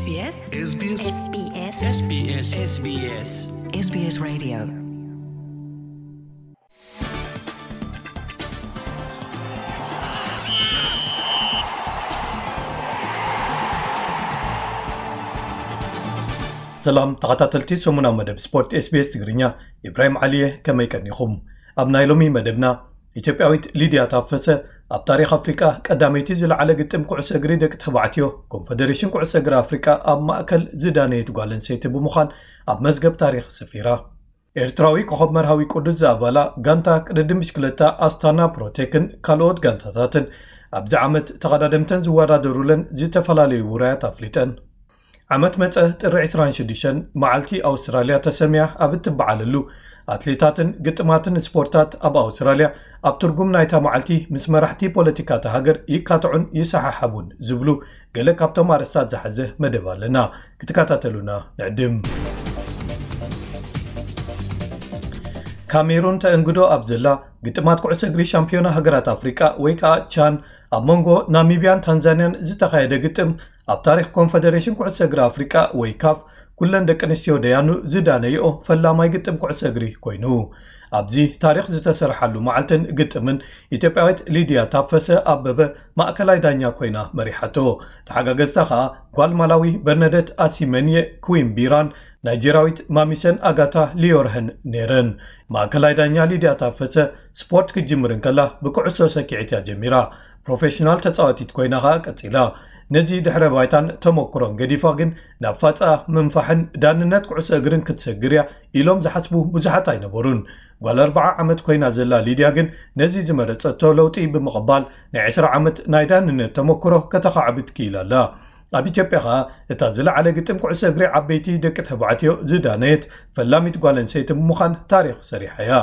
SBS SBS SBS SBS SBS Radio. ሰላም ተኸታተልቲ ሰሙናዊ መደብ ስፖርት SBS ትግርኛ፣ ኢብራሂም ዓሊየ፣ ከመይ ቀኒኹም? ኣብ ናይ ሎሚ መደብና፣ ኢትዮጵያዊት ሊድያ ታፈሰ ኣብ ታሪኽ ኣፍሪቃ ቀዳመይቲ ዝለዓለ ግጥም ኩዕሶ እግሪ ደቂ ተባዕትዮ ኮንፈደሬሽን ኩዕሶ እግሪ ኣፍሪቃ ኣብ ማእከል ዝዳነየት ጓል ኣንስተይቲ ብምዃን ኣብ መዝገብ ታሪኽ ሰፊራ። ኤርትራዊ ኮኸብ መርሃዊ ቅዱስ ዝኣባላ ጋንታ ቅድድም ብሽክለታ ኣስታና ፕሮቴክን ካልኦት ጋንታታትን ኣብዚ ዓመት ተቐዳደምተን ዝወዳደሩለን ዝተፈላለዩ ውራያት ኣፍሊጠን። ዓመት መጸ ጥሪ ዕስራን ሽዱሽተን መዓልቲ ኣውስትራልያ ተሰምያ ኣብ እትበዓለሉ፣ ኣትሌታትን ግጥማትን ስፖርታት ኣብ ኣውስትራልያ ኣብ ትርጉም ናይታ መዓልቲ ምስ መራሕቲ ፖለቲካ እታ ሃገር ይካትዑን ይሰሓሓቡን ዝብሉ ገለ ካብቶም ኣርእስታት ዝሓዘ መደብ ኣለና። ክትከታተሉና ንዕድም። ካሜሩን ተእንግዶ ኣብ ዘላ ግጥማት ኩዕሶ እግሪ ሻምፒዮና ሃገራት ኣፍሪቃ ወይ ከዓ ቻን ኣብ መንጎ ናሚብያን ታንዛንያን ዝተኻየደ ግጥም ኣብ ታሪኽ ኮንፈደሬሽን ኩዕሶ እግሪ ኣፍሪቃ ወይ ካፍ ኩለን ደቂ ኣንስትዮ ደያኑ ዝዳነይኦ ፈላማይ ግጥም ኩዕሶ እግሪ ኮይኑ፣ ኣብዚ ታሪኽ ዝተሰርሓሉ መዓልትን ግጥምን ኢትዮጵያዊት ሊድያ ታፈሰ ኣበበ ማእከላይ ዳኛ ኮይና መሪሓቶ። ተሓጋገዝታ ከኣ ጓል ማላዊ በርነደት ኣሲመንየ ኩዊምቢራን ናይጀርያዊት ማሚሰን ኣጋታ ሊዮርሀን ነይረን። ማእከላይ ዳኛ ሊድያ ታፈሰ ስፖርት ክትጅምር እንከላ ብኩዕሶ ሰኪዔት እያ ጀሚራ። ፕሮፌሽናል ተጻዋቲት ኮይና ከኣ ቀጺላ። ነዚ ድሕረ ባይታን ተመኩሮን ገዲፋ ግን ናብ ፋጻ ምንፋሕን ዳንነት ኩዕሶ እግርን ክትሰግር እያ ኢሎም ዝሓስቡ ብዙሓት ኣይነበሩን። ጓል ኣርብዓ ዓመት ኮይና ዘላ ሊድያ ግን ነዚ ዝመረጸቶ ለውጢ ብምቕባል ናይ ዕስራ ዓመት ናይ ዳንነት ተመኩሮ ከተኻዕብት ክኢላ ኣላ። ኣብ ኢትዮጵያ ኸኣ እታ ዝለዓለ ግጥም ኩዕሶ እግሪ ዓበይቲ ደቂ ተባዕትዮ ዝዳነየት ፈላሚት ጓል ኣንስተይቲ ብምዃን ታሪኽ ሰሪሓ እያ።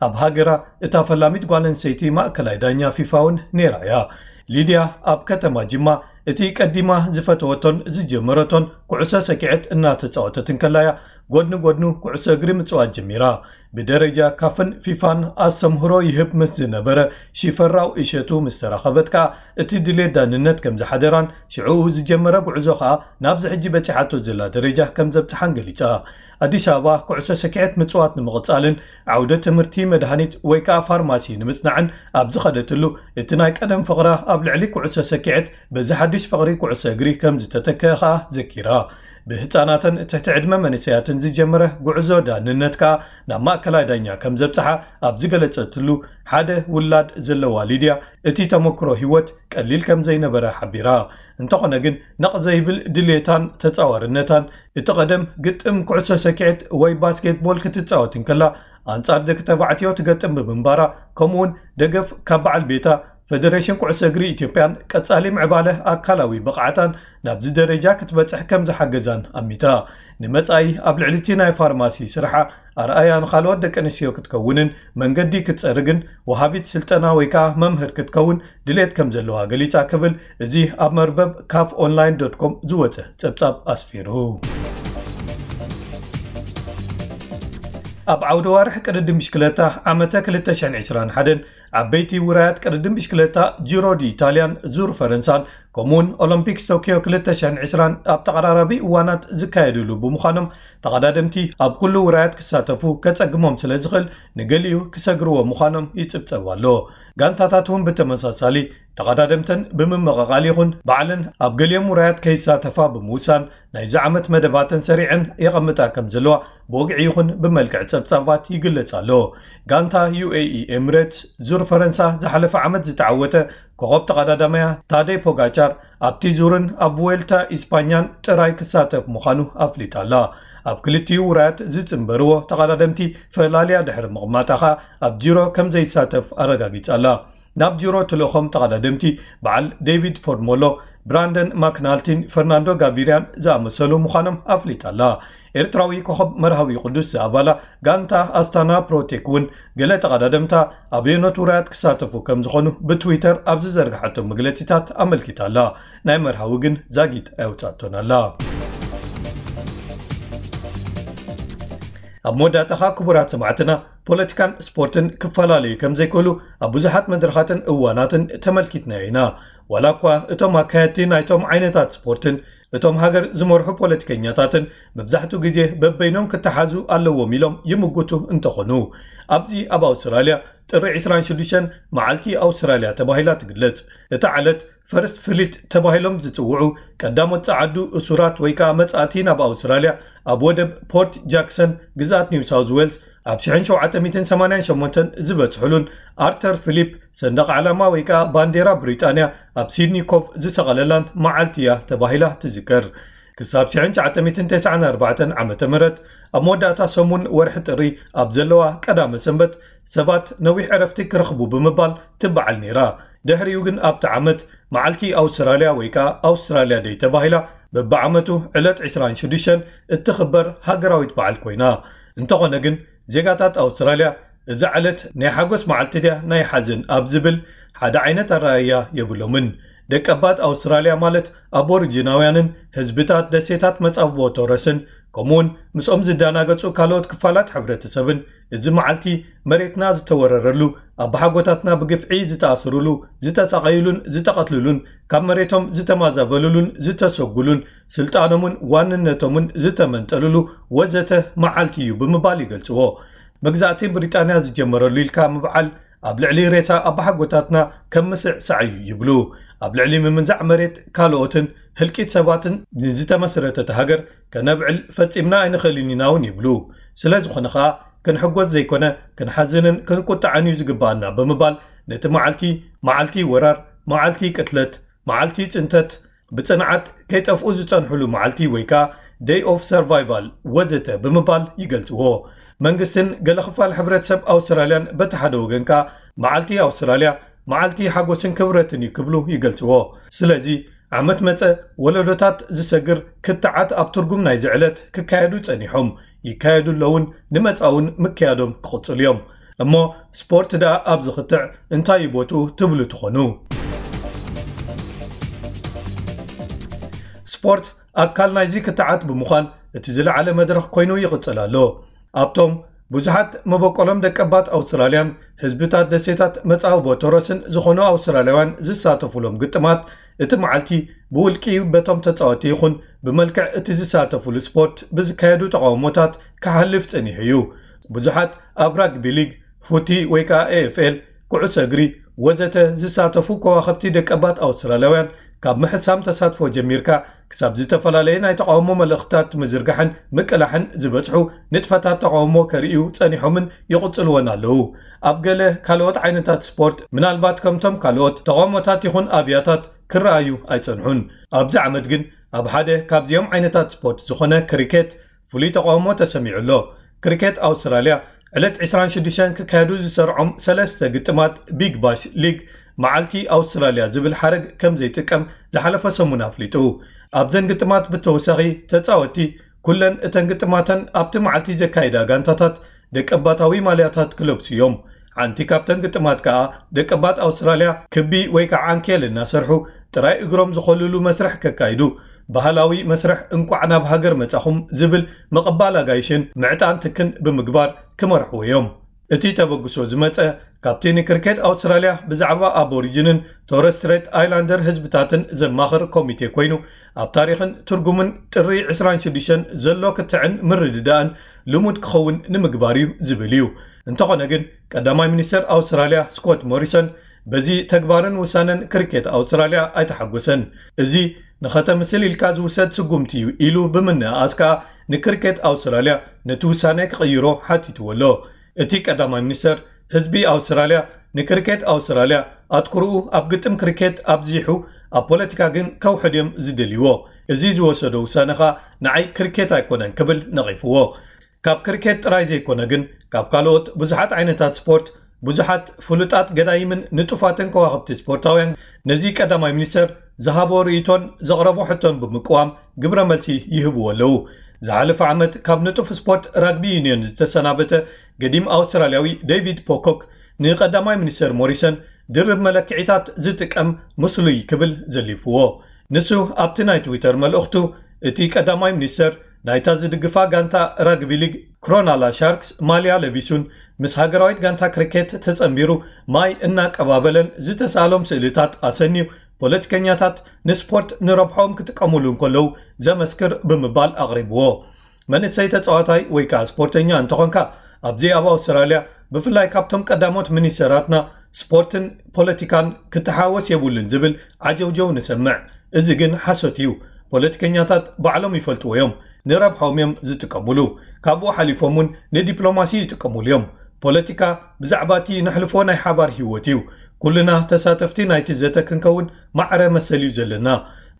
ኣብ ሃገራ እታ ፈላሚት ጓል ኣንስተይቲ ማእከላይ ዳኛ ፊፋ እውን ነይራ እያ። ሊድያ ኣብ ከተማ ጅማ እቲ ቀዲማ ዝፈተወቶን ዝጀመረቶን ኩዕሶ ሰኪዐት እናተጻወተት እንከላ እያ ጎድኒ ጎድኑ ኩዕሶ እግሪ ምጽዋት ጀሚራ። ብደረጃ ካፍን ፊፋን ኣስተምህሮ ይህብ ምስ ዝነበረ ሽፈራው እሸቱ ምስ ተራኸበት ከኣ እቲ ድሌት ዳንነት ከም ዝሓደራን ሽዑ ዝጀመረ ጉዕዞ ከኣ ናብዚ ሕጂ በጺሓቶ ዘላ ደረጃ ከም ዘብጽሓን ገሊጻ። ኣዲስ ኣበባ ኩዕሶ ሰኪዐት ምጽዋት ንምቕጻልን ዓውደ ትምህርቲ መድሃኒት ወይ ከኣ ፋርማሲ ንምጽናዕን ኣብ ዝኸደትሉ እቲ ናይ ቀደም ፍቕራ ኣብ ልዕሊ ኩዕሶ ሰኪዐት በዚ ሓድሽ ፍቕሪ ኩዕሶ እግሪ ከም ዝተተክአ ከኣ ዘኪራ። ብህጻናትን ትሕቲ ዕድመ መንእሰያትን ዝጀመረ ጉዕዞ ዳንነት ከኣ ናብ ማእከላይ ዳኛ ከም ዘብጽሓ ኣብ ዝገለጸትሉ፣ ሓደ ውላድ ዘለዋ ሊድያ እቲ ተመክሮ ህይወት ቀሊል ከም ዘይነበረ ሓቢራ። እንተኾነ ግን ነቕ ዘይብል ድሌታን ተጻዋርነታን እቲ ቀደም ግጥም ኩዕሶ ሰኪዐት ወይ ባስኬትቦል ክትጻወት እንከላ ኣንጻር ደቂ ተባዕትዮ ትገጥም ብምንባራ፣ ከምኡውን ደገፍ ካብ በዓል ቤታ ፈደሬሽን ኩዕሶ እግሪ ኢትዮጵያን ቀጻሊ ምዕባለ ኣካላዊ ብቕዓታን ናብዚ ደረጃ ክትበጽሕ ከም ዝሓገዛን ኣሚታ። ንመጻኢ ኣብ ልዕሊ እቲ ናይ ፋርማሲ ስርሓ ኣርኣያ ንኻልኦት ደቂ ኣንስትዮ ክትከውንን መንገዲ ክትጸርግን ወሃቢት ስልጠና ወይ ከኣ መምህር ክትከውን ድሌት ከም ዘለዋ ገሊጻ ክብል እዚ ኣብ መርበብ ካፍ ኦንላይን ዶት ኮም ዝወጸ ጸብጻብ ኣስፊሩ። ኣብ ዓውደ ዋርሕ ቅድድም ብሽክለታ ዓመተ ክልተ ሽሕን ዕስራን ሓደን ዓበይቲ ውራያት ቅድድም ብሽክለታ ጂሮ ዲ ኢታልያን ዙር ፈረንሳን ከምኡውን ኦሎምፒክስ ቶኪዮ ክልተ ሽሕን ዕስራን ኣብ ተቐራራቢ እዋናት ዝካየድሉ ብምዃኖም ተቐዳደምቲ ኣብ ኩሉ ውራያት ክሳተፉ ከጸግሞም ስለ ዝኽእል ንገሊኡ ክሰግርዎ ምዃኖም ይጽብጸብ ኣሎ። ጋንታታት እውን ብተመሳሳሊ ተቐዳደምተን ብምምቕቓል ይኹን ባዕለን ኣብ ገሊኦም ውራያት ከይሳተፋ ብምውሳን ናይዚ ዓመት መደባተን ሰሪዐን የቐምጣ ከም ዘለዋ ብወግዒ ይኹን ብመልክዕ ጸብጻባት ይግለጽ ኣሎ። ጋንታ ዩ ኤ ኢ ኤምሬትስ ዙር ፈረንሳ ዝሓለፈ ዓመት ዝተዓወተ ኮኸብ ተቐዳዳማያ ታደይ ፖጋቻር ኣብቲ ዙርን ኣብ ቡዌልታ ኢስፓኛን ጥራይ ክሳተፍ ምዃኑ ኣፍሊጣ ኣላ። ኣብ ክልቲኡ ውራያት ዝጽንበርዎ ተቐዳደምቲ ፈላልያ ድሕሪ ምቕማጣ ኸኣ ኣብ ጂሮ ከም ዘይሳተፍ ኣረጋጊጻ ኣላ። ናብ ጂሮ ትልእኾም ተቐዳደምቲ በዓል ዴቪድ ፎርሞሎ፣ ብራንደን ማክናልቲን ፈርናንዶ ጋቪርያን ዝኣመሰሉ ምዃኖም ኣፍሊጣ ኣላ። ኤርትራዊ ኮኸብ መርሃዊ ቅዱስ ዝኣባላ ጋንታ ኣስታና ፕሮቴክ እውን ገለ ተቐዳደምታ ኣበየኖት ውራያት ክሳተፉ ከም ዝኾኑ ብትዊተር ኣብ ዝዘርግሓቶ መግለጺታት ኣመልኪታ ኣላ። ናይ መርሃዊ ግን ዛጊት ኣየውጻእቶን ኣላ። ኣብ መወዳእታ ኸኣ ክቡራት ሰማዕትና፣ ፖለቲካን ስፖርትን ክፈላለዩ ከም ዘይክእሉ ኣብ ብዙሓት መድረኻትን እዋናትን ተመልኪትናዮ ኢና። ዋላ እኳ እቶም ኣካየድቲ ናይቶም ዓይነታት ስፖርትን እቶም ሃገር ዝመርሑ ፖለቲከኛታትን መብዛሕትኡ ግዜ በበይኖም ክተሓዙ ኣለዎም ኢሎም ይምጉቱ እንተኾኑ፣ ኣብዚ ኣብ ኣውስትራልያ ጥሪ ዕስራን ሽዱሽተን መዓልቲ ኣውስትራልያ ተባሂላ ትግለጽ። እታ ዕለት ፈርስት ፍሊት ተባሂሎም ዝጽውዑ ቀዳሞት ጸዓዱ እሱራት ወይ ከኣ መጻእቲ ናብ ኣውስትራልያ ኣብ ወደብ ፖርት ጃክሰን ግዝኣት ኒው ሳውዝ ዌልስ ኣብ ሽሕን ሸውዓተ ሚእትን ሰማንያን ሸሞንተን ዝበጽሑሉን ኣርተር ፊሊፕ ሰንደቕ ዓላማ ወይ ከኣ ባንዴራ ብሪጣንያ ኣብ ሲድኒ ኮፍ ዝሰቐለላን መዓልቲ እያ ተባሂላ ትዝከር። ክሳብ ሽሕን ትሽዓተ ሚእትን ተስዓን ኣርባዕተን ዓመተ ምህረት ኣብ መወዳእታ ሰሙን ወርሒ ጥሪ ኣብ ዘለዋ ቀዳመ ሰንበት ሰባት ነዊሕ ዕረፍቲ ክረኽቡ ብምባል ትበዓል ነይራ። ድሕሪኡ ግን ኣብቲ ዓመት መዓልቲ ኣውስትራልያ ወይ ከኣ ኣውስትራልያ ደይ ተባሂላ በብዓመቱ ዕለት ዕስራን ሽዱሽተን እትኽበር ሃገራዊት በዓል ኮይና። እንተኾነ ግን ዜጋታት ኣውስትራልያ እዛ ዕለት ናይ ሓጎስ መዓልቲ ድያ ናይ ሓዘን ኣብ ዝብል ሓደ ዓይነት ኣረኣእያ የብሎምን። ደቀባት ኣውስትራልያ ማለት ኣቦሪጂናውያንን ህዝብታት ደሴታት መጻብቦ ቶረስን ከምኡውን ምስኦም ዝደናገጹ ካልኦት ክፋላት ሕብረተሰብን እዚ መዓልቲ መሬትና ዝተወረረሉ፣ ኣባሓጎታትና ብግፍዒ ዝተኣስሩሉ፣ ዝተሳቐዩሉን ዝተቐትልሉን ካብ መሬቶም ዝተማዛበሉሉን ዝተሰጉሉን ስልጣኖምን ዋንነቶምን ዝተመንጠሉሉ ወዘተ መዓልቲ እዩ ብምባል ይገልጽዎ። መግዛእቲ ብሪጣንያ ዝጀመረሉ ኢልካ ምብዓል ኣብ ልዕሊ ሬሳ ኣባሓጎታትና ከም ምስዕ ሳዕ እዩ ይብሉ። ኣብ ልዕሊ ምምንዛዕ መሬት ካልኦትን ህልቂት ሰባትን ንዝተመስረተት ሃገር ከነብዕል ፈጺምና ኣይንኽእልን ኢና እውን ይብሉ። ስለ ዝኾነ ኸኣ ክንሕጎስ ዘይኮነ ክንሓዝንን ክንቁጣዕን እዩ ዝግባኣና ብምባል ነቲ መዓልቲ መዓልቲ ወራር፣ መዓልቲ ቅትለት፣ መዓልቲ ጽንተት፣ ብጽንዓት ከይጠፍኡ ዝጸንሕሉ መዓልቲ ወይ ከኣ ደይ ኦፍ ሰርቫይቫል ወዘተ ብምባል ይገልጽዎ። መንግስትን ገለ ክፋል ሕብረተሰብ ኣውስትራልያን በቲ ሓደ ወገን ከኣ መዓልቲ ኣውስትራልያ መዓልቲ ሓጎስን ክብረትን እዩ ክብሉ ይገልጽዎ። ስለዚ ዓመት መጸ ወለዶታት ዝሰግር ክትዓት ኣብ ትርጉም ናይዚ ዕለት ክካየዱ ጸኒሖም ይካየዱ ኣለውን ንመጻውን ምክያዶም ክቕጽሉ እዮም። እሞ ስፖርት ደኣ ኣብዚ ክትዕ እንታይ እዩ ቦትኡ ትብሉ ትኾኑ? ስፖርት ኣካል ናይዚ ክትዓት ብምዃን እቲ ዝለዓለ መድረኽ ኮይኑ ይቕጽል ኣሎ። ኣብቶም ብዙሓት መበቆሎም ደቀባት ኣውስትራልያን ህዝብታት ደሴታት መጻብቦ ቶረስን ዝኾኑ ኣውስትራልያውያን ዝሳተፉሎም ግጥማት እቲ መዓልቲ ብውልቂ በቶም ተጻወቲ ይኹን ብመልክዕ እቲ ዝሳተፉሉ ስፖርት ብዝካየዱ ተቓውሞታት ክሓልፍ ጸኒሑ እዩ። ብዙሓት ኣብ ራግቢ ሊግ፣ ፉቲ ወይ ከኣ ኤ ኤፍ ኤል፣ ኩዕሶ እግሪ ወዘተ ዝሳተፉ ከዋኸብቲ ደቀባት ኣውስትራልያውያን ካብ ምሕሳም ተሳትፎ ጀሚርካ ክሳብ ዝተፈላለየ ናይ ተቓውሞ መልእኽትታት ምዝርጋሕን ምቅላሕን ዝበጽሑ ንጥፈታት ተቓውሞ ከርእዩ ጸኒሖምን ይቕጽልዎን ኣለዉ። ኣብ ገለ ካልኦት ዓይነታት ስፖርት ምናልባት ከምቶም ካልኦት ተቓውሞታት ይኹን ኣብያታት ክረኣዩ ኣይጸንሑን። ኣብዚ ዓመት ግን ኣብ ሓደ ካብዚኦም ዓይነታት ስፖርት ዝኾነ ክሪኬት ፍሉይ ተቓውሞ ተሰሚዑ ኣሎ። ክሪኬት ኣውስትራልያ ዕለት ዕስራን ሽዱሽተን ክካየዱ ዝሰርዖም ሰለስተ ግጥማት ቢግ ባሽ ሊግ መዓልቲ ኣውስትራልያ ዝብል ሓረግ ከም ዘይጥቀም ዝሓለፈ ሰሙን ኣፍሊጡ። ኣብዘን ግጥማት ብተወሳኺ ተጻወትቲ ኩለን እተን ግጥማተን ኣብቲ መዓልቲ ዘካይዳ ጋንታታት ደቀባታዊ ማልያታት ክለብሱ እዮም። ሓንቲ ካብተን ግጥማት ከኣ ደቀባት ኣውስትራልያ ክቢ ወይ ከዓ ዓንኬል እናሰርሑ ጥራይ እግሮም ዝኾልሉ መስርሕ ከካይዱ ባህላዊ መስርሕ እንቋዕ ናብ ሃገር መጻኹም ዝብል ምቕባል ኣጋይሽን ምዕጣን ትክን ብምግባር ክመርሕዎ እዮም። እቲ ተበግሶ ዝመጸ ካብቲ ንክርኬት ኣውስትራልያ ብዛዕባ ኣቦሪጅንን ቶረስ ስትሬት ኣይላንደር ህዝብታትን ዘማኽር ኮሚቴ ኮይኑ ኣብ ታሪኽን ትርጉምን ጥሪ ዕስራን ሽዱሽተን ዘሎ ክትዕን ምርድዳእን ልሙድ ክኸውን ንምግባር እዩ ዝብል እዩ። እንተኾነ ግን ቀዳማይ ሚኒስተር ኣውስትራልያ ስኮት ሞሪሰን በዚ ተግባርን ውሳነን ክሪኬት ኣውስትራልያ ኣይተሓጎሰን። እዚ ንኸተምስል ኢልካ ዝውሰድ ስጉምቲ እዩ ኢሉ ብምንእኣስ ከኣ ንክሪኬት ኣውስትራልያ ነቲ ውሳነ ክቕይሮ ሓቲትዎ ኣሎ። እቲ ቀዳማይ ሚኒስተር ህዝቢ ኣውስትራልያ ንክሪኬት ኣውስትራልያ ኣትኩርኡ ኣብ ግጥም ክሪኬት ኣብዚሑ ኣብ ፖለቲካ ግን ከውሕድ እዮም ዝደልይዎ። እዚ ዝወሰዶ ውሳነ ኸኣ ንዓይ ክሪኬት ኣይኮነን ክብል ነቒፍዎ። ካብ ክሪኬት ጥራይ ዘይኮነ ግን ካብ ካልኦት ብዙሓት ዓይነታት ስፖርት ብዙሓት ፍሉጣት ገዳይምን ንጡፋትን ከዋኽብቲ ስፖርታውያን ነዚ ቀዳማይ ሚኒስተር ዝሃቦ ርእይቶን ዘቕረቦ ሕቶን ብምቅዋም ግብረ መልሲ ይህብዎ ኣለዉ። ዝሓለፈ ዓመት ካብ ንጡፍ ስፖርት ራግቢ ዩኒየን ዝተሰናበተ ገዲም ኣውስትራልያዊ ዴቪድ ፖኮክ ንቀዳማይ ሚኒስተር ሞሪሰን ድርብ መለክዒታት ዝጥቀም ምስሉይ ክብል ዘሊፍዎ። ንሱ ኣብቲ ናይ ትዊተር መልእኽቱ እቲ ቀዳማይ ሚኒስተር ናይታ ዝድግፋ ጋንታ ራግቢ ሊግ ክሮናላ ሻርክስ ማልያ ለቢሱን ምስ ሃገራዊት ጋንታ ክሪኬት ተጸንቢሩ ማይ እናቀባበለን ዝተሳሎም ስእልታት ኣሰንዩ ፖለቲከኛታት ንስፖርት ንረብሖም ክጥቀሙሉ እንከለዉ ዘመስክር ብምባል ኣቕሪብዎ። መንእሰይ ተጻዋታይ ወይ ከኣ ስፖርተኛ እንተኾንካ ኣብዚ ኣብ ኣውስትራልያ ብፍላይ ካብቶም ቀዳሞት ሚኒስተራትና ስፖርትን ፖለቲካን ክተሓወስ የብሉን ዝብል ዓጀውጀው ንሰምዕ። እዚ ግን ሓሶት እዩ። ፖለቲከኛታት ባዕሎም ይፈልጥዎ እዮም። ንረብሖም እዮም ዝጥቀሙሉ። ካብኡ ሓሊፎም እውን ንዲፕሎማሲ ይጥቀሙሉ እዮም። ፖለቲካ ብዛዕባ እቲ ነሕልፎ ናይ ሓባር ህይወት እዩ። ኩልና ተሳተፍቲ ናይቲ ዘተ ክንከውን ማዕረ መሰል እዩ ዘለና።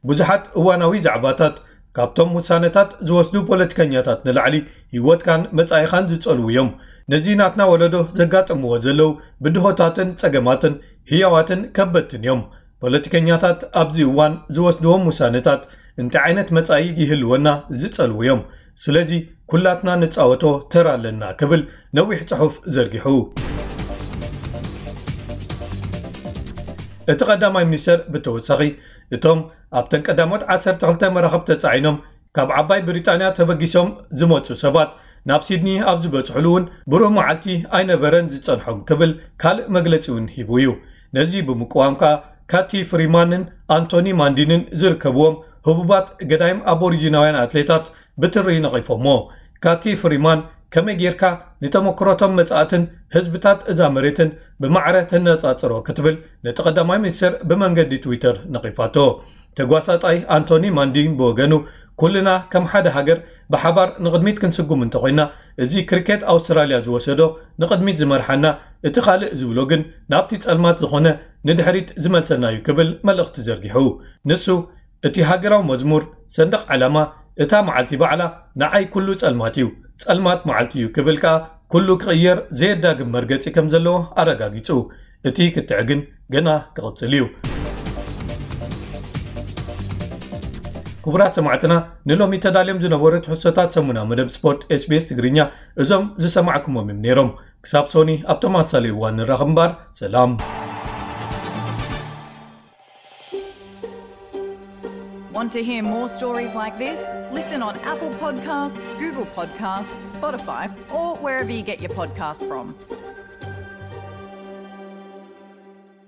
ብዙሓት እዋናዊ ዛዕባታት ካብቶም ውሳነታት ዝወስዱ ፖለቲከኛታት ንላዕሊ ህይወትካን መጻኢኻን ዝጸልዉ እዮም። ነዚ ናትና ወለዶ ዘጋጥምዎ ዘለዉ ብድሆታትን ጸገማትን ህያዋትን ከበድትን እዮም። ፖለቲከኛታት ኣብዚ እዋን ዝወስድዎም ውሳነታት እንታይ ዓይነት መጻኢ ይህልወና ዝጸልዉ እዮም። ስለዚ ኩላትና ንጻወቶ ተራ ኣለና ክብል ነዊሕ ጽሑፍ ዘርጊሑ። እቲ ቀዳማይ ሚኒስተር ብተወሳኺ እቶም ኣብተን ቀዳሞት ዓሰርተ ክልተ መራኽብ ተጻዒኖም ካብ ዓባይ ብሪጣንያ ተበጊሶም ዝመጹ ሰባት ናብ ሲድኒ ኣብ ዝበጽሕሉ እውን ብሩህ መዓልቲ ኣይነበረን ዝጸንሖም ክብል ካልእ መግለጺ እውን ሂቡ እዩ። ነዚ ብምቅዋም ከኣ ካቲ ፍሪማንን ኣንቶኒ ማንዲንን ዝርከብዎም ህቡባት ገዳይም ኣቦሪጂናውያን ኣትሌታት ብትሪ ነቒፎሞ። ካቲ ፍሪማን ከመይ ጌርካ ንተመክሮቶም መጻእትን ህዝብታት እዛ መሬትን ብማዕረ ተነጻጽሮ ክትብል ነቲ ቀዳማይ ሚኒስትር ብመንገዲ ትዊተር ነቒፋቶ። ተጓሳጣይ ኣንቶኒ ማንዲን ብወገኑ ኩልና ከም ሓደ ሃገር ብሓባር ንቕድሚት ክንስጉም እንተኾይና እዚ ክሪኬት ኣውስትራልያ ዝወሰዶ ንቕድሚት ዝመርሓና እቲ ካልእ ዝብሎ ግን ናብቲ ጸልማት ዝኾነ ንድሕሪት ዝመልሰና እዩ ክብል መልእኽቲ ዘርጊሑ። ንሱ እቲ ሃገራዊ መዝሙር ሰንደቕ ዓላማ እታ መዓልቲ ባዕላ ንዓይ ኩሉ ጸልማት እዩ፣ ጸልማት መዓልቲ እዩ ክብል ከኣ ኩሉ ክቕየር ዘየዳግም መርገጺ ከም ዘለዎ ኣረጋጊጹ። እቲ ክትዕ ግን ገና ክቕጽል እዩ። ክቡራት ሰማዕትና ንሎሚ ተዳልዮም ዝነበሩ ትሕዝቶታት ሰሙና መደብ ስፖርት ኤስቢኤስ ትግርኛ እዞም ዝሰማዕኩሞም እዮም ነይሮም። ክሳብ ሶኒ ኣብ ተመሳሳሊ እዋን ንራኸብ እምበር ሰላም። Want to hear more stories like this? Listen on Apple Podcasts, Google Podcasts, Spotify, or wherever you get your podcasts from.